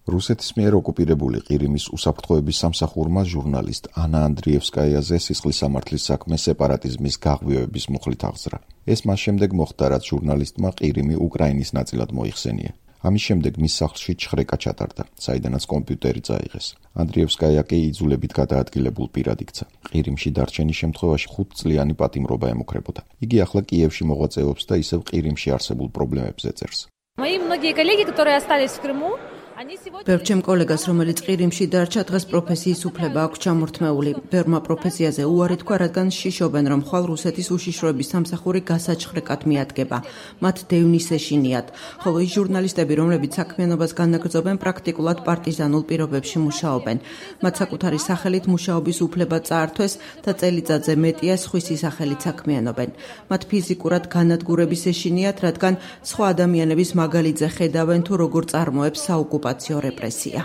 რუსეთის მიერ ოკუპირებული ყირიმის უსაფრთხოების სამსახურმა ჟურნალისტ ანა ანდრიევსკაიაზე სისხლის სამართლის საქმე სეპარატიზმის გაღვივების მუხლით აღზრა. ეს მას შემდეგ მოხდა, რაც ჟურნალისტმა ყირიმი უკრაინის ნაწილად მოიხსენია. ამის შემდეგ მის სახლში ჩხრეკა ჩატარდა, საიდანაც კომპიუტერი წაიღეს. ანდრიევსკაია კი იძულებით გადაადგილებულ პირად იქცა. ყირიმში დარჩენის შემთხვევაში 5 წლიანი პატიმრობა ემუქრებოდა. იგი ახლა კიევში მოღვაწეობს და ისევ ყირიმში არსებულ პრობლემებზე წერს. Мои многие коллеги, которые остались в Крыму, ბევრ ჩემ კოლეგას, რომელიც ყირიმში დარჩა, დღეს პროფესიის უფლება აქვს ჩამორთმეული. ბევრმა პროფესიაზე უარი თქვა, რადგან შიშობენ, რომ ხვალ რუსეთის უშიშროების სამსახური გასაჩხრეკად მიადგება. მათ დევნის ეშინიათ, ხოლო ის ჟურნალისტები, რომლებიც საქმიანობას განაგრძობენ, პრაქტიკულად პარტიზანულ პირობებში მუშაობენ. მათ საკუთარი სახელით მუშაობის უფლება წაართვეს და წელიწადზე მეტია სხვისი სახელით საქმიანობენ. მათ ფიზიკურად განადგურების ეშინიათ, რადგან სხვა ადამიანების მაგალითზე ხედავენ თუ როგორ წარმოებს საოკუპაციო რეპრესია.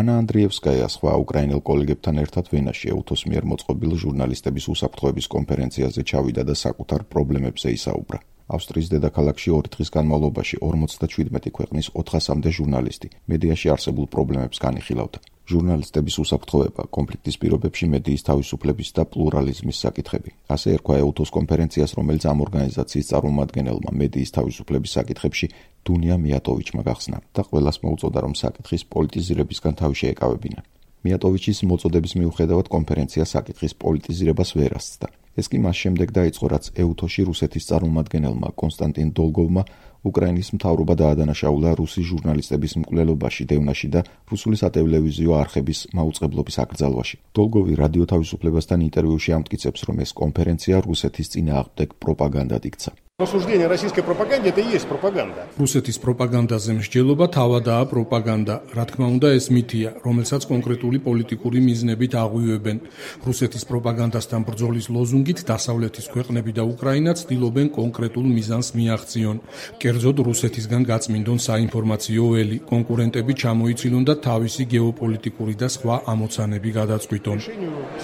ანა ანდრიევსკაია სხვა უკრაინელ კოლეგებთან ერთად ვენაში ეუთოს მიერ მოწყობილ ჟურნალისტების უსაფრთხოების კონფერენციაზე ჩავიდა და საკუთარ პრობლემებზე ისაუბრა. ავსტრიის დედაქალაქში 2 დღის განმავლობაში 57 ქვეყნის 400-მდე ჟურნალისტი მედიაში არსებულ პრობლემებს განიხილავდა. ჟურნალისტების უსაფრთხოება, კონფლიქტის პირობებში მედიის თავისუფლების და პლურალიზმის საკითხები. ასე ერქვა ეუთოს კონფერენციას, რომელიც ამ ორგანიზაციის წარმომადგენელმა მედიის თავისუფლების საკითხებში დუნია მიატოვიჩმა გახსნა და ყველას მოუწოდა, რომ საკითხის პოლიტიზირებისგან თავი შეეკავებინა. მიატოვიჩის მოწოდების მიუხედავად კონფერენცია საკითხის პოლიტიზირებას ვერ ასწდა. ეს კი მას შემდეგ დაიწყო, რაც ეუთოში რუსეთის წარმომადგენელმა კონსტანტინ დოლგოვმა უკრაინის მთავრობა დაადანაშაულა რუსი ჟურნალისტების მკვლელობაში, დევნაში და რუსული სატელევიზიო არხების მაუწყებლობის აკრძალვაში. დოლგოვი რადიო თავისუფლებასთან ინტერვიუში ამტკიცებს, რომ ეს კონფერენცია რუსეთის წინააღმდეგ პროპაგანდად იქცა. Осуждение российской пропаганде это и есть пропаганда. რუსეთის პროპაგანდაზე მსჯელობა თავადაა პროპაგანდა. რა თქმა უნდა, ეს მითია, რომელსაც კონკრეტული პოლიტიკური მიზნებით აღვივებენ. რუსეთის პროპაგანდასთან ბრძოლის ლოზუნგით დასავლეთის ქვეყნები და უკრაინა ცდილობენ კონკრეტულ მიზანს მიაღწიონ. კერძოდ რუსეთისგან გაწმინდონ საინფორმაციო ველი, კონკურენტები ჩამოიცილონ და თავისი გეოპოლიტიკური და სხვა ამოცანები გადაწყვიტონ.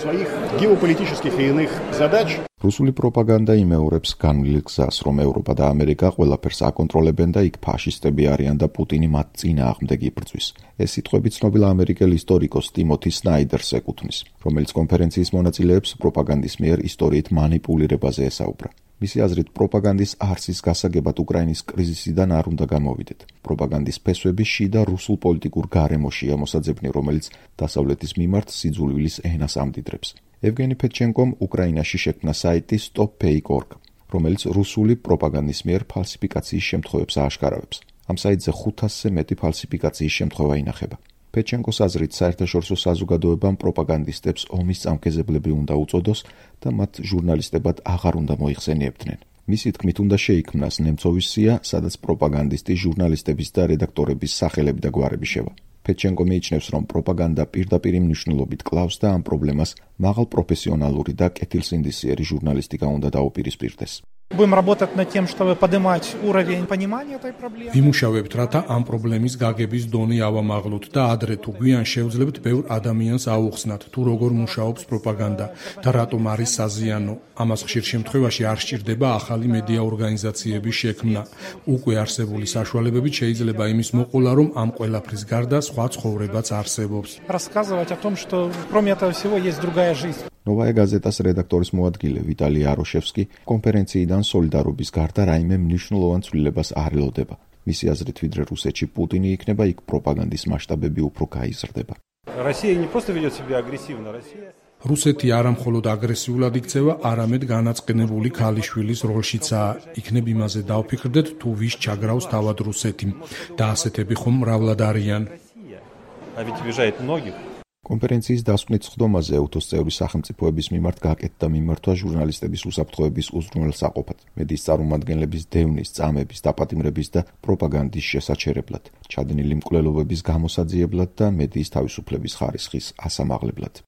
Своих геополитических и иных задач რუსული პროპაგანდა იმეორებს განვლილ გზას, რომ ევროპა და ამერიკა ყველაფერს აკონტროლებენ და იქ ფაშისტები არიან და პუტინი მათ წინააღმდეგ იბრძვის. ეს სიტყვები ცნობილ ამერიკელ ისტორიკოს ტიმოთი სნაიდერს ეკუთვნის, რომელიც კონფერენციის მონაწილეებს პროპაგანდის მიერ ისტორიით манипуლირებაზე ესაუბრა. მისი აზრით, პროპაგანდის არსის გასაგებად უკრაინის კრიზისიდან არ უნდა გამოვიდეთ. პროპაგანდის ფესვები შიდა რუსულ პოლიტიკურ გარემოშია მოსაძებნი, რომელიც დასავლეთის მიმართ სიძულვილის ენას ამდიდრებს. ევგენი ფედჩენკომ უკრაინაში შექმნა საიტი stopfake.org, რომელიც რუსული პროპაგანდის მიერ ფალსიფიკაციის შემთხვევებს ააშკარავებს. ამ საიტზე 500-ზე მეტი ფალსიფიკაციის შემთხვევა ინახება. ფედჩენკოს აზრით, საერთაშორისო საზოგადოებამ პროპაგანდისტებს ომის წამკეზებლები უნდა უწოდოს და მათ ჟურნალისტებად აღარ უნდა მოიხსენიებდნენ. მისი თქმით, უნდა შეიქმნას ნემცოვის სია, სადაც პროპაგანდისტი ჟურნალისტების და რედაქტორების სახელები და გვარები შევა. ფედჩენკო მიიჩნევს, რომ პროპაგანდა პირდაპირ მნიშვნელობით კლავს და ამ პრობლემას მაღალ პროფესიონალური და კეთილსინდისიერი ჟურნალისტიკა უნდა დაუპირისპირდეს. Будем работать над тем, чтобы поднимать уровень понимания этой проблемы. ვიმუშავებთ, რათა ამ პრობლემის გაგების დონე ავამაღლოთ და ადრე თუ გვიან შევძლებთ ბევრ ადამიანს აუხსნათ, თუ როგორ მუშაობს პროპაგანდა და რატომ არის საზიანო. ამას ხშირ შემთხვევაში არ სჭირდება ახალი მედია ორგანიზაციების შექმნა. უკვე არსებული საშუალებებით შეიძლება იმის მოყოლა, რომ ამ ყველაფრის გარდა სხვა ცხოვრებაც არსებობს. Рассказывать о том, что кроме этого всего есть другая жизнь. ნოვაია გაზეტას რედაქტორის მოადგილე ვიტალი აროშევსკი კონფერენციიდან სოლიდარობის გარდა რაიმე მნიშვნელოვან ცვლილებას არ ელოდება. მისი აზრით, ვიდრე რუსეთში პუტინი იქნება, იქ პროპაგანდის მასშტაბები უფრო გაიზრდება. Россия не просто ведет себя агрессивно, Россия რუსეთი არა მხოლოდ აგრესიულად იქცევა, არამედ განაწყენებული ქალიშვილის როლშიცაა. იქნებ იმაზე დავფიქრდეთ, თუ ვის ჩაგრავს თავად რუსეთი და ასეთები ხომ მრავლად არიან. А ведь обижает многих. კონფერენციის დასკვნით სხდომაზე ეუთოს წევრი სახელმწიფოების მიმართ გაკეთდა მიმართვა ჟურნალისტების უსაფრთხოების უზრუნველსაყოფად, მედიის წარმომადგენლების დევნის, წამების, დაპატიმრების და პროპაგანდის შესაჩერებლად, ჩადენილი მკვლელობების გამოსაძიებლად და მედიის თავისუფლების ხარისხის ასამაღლებლად.